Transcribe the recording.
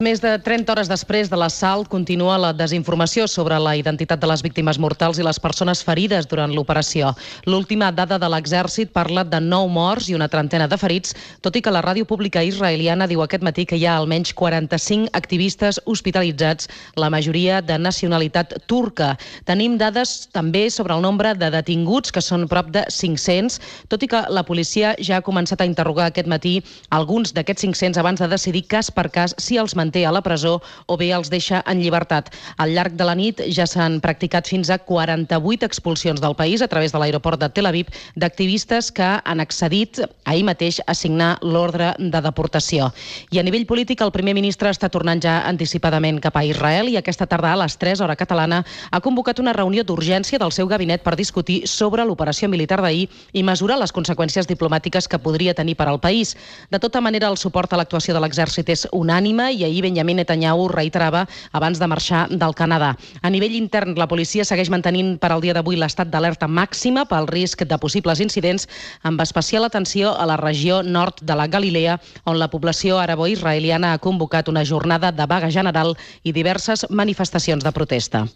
Més de 30 hores després de l'assalt continua la desinformació sobre la identitat de les víctimes mortals i les persones ferides durant l'operació. L'última dada de l'exèrcit parla de 9 morts i una trentena de ferits, tot i que la ràdio pública israeliana diu aquest matí que hi ha almenys 45 activistes hospitalitzats, la majoria de nacionalitat turca. Tenim dades també sobre el nombre de detinguts, que són prop de 500, tot i que la policia ja ha començat a interrogar aquest matí alguns d'aquests 500 abans de decidir cas per cas si els manté a la presó o bé els deixa en llibertat. Al llarg de la nit ja s'han practicat fins a 48 expulsions del país a través de l'aeroport de Tel Aviv d'activistes que han accedit ahir mateix a signar l'ordre de deportació. I a nivell polític el primer ministre està tornant ja anticipadament cap a Israel i aquesta tarda a les 3, hora catalana, ha convocat una reunió d'urgència del seu gabinet per discutir sobre l'operació militar d'ahir i mesurar les conseqüències diplomàtiques que podria tenir per al país. De tota manera, el suport a l'actuació de l'exèrcit és unànime i ahir Benjamin Netanyahu reiterava abans de marxar del Canadà. A nivell intern, la policia segueix mantenint per al dia d'avui l'estat d'alerta màxima pel risc de possibles incidents, amb especial atenció a la regió nord de la Galilea, on la població arabo-israeliana ha convocat una jornada de vaga general i diverses manifestacions de protesta.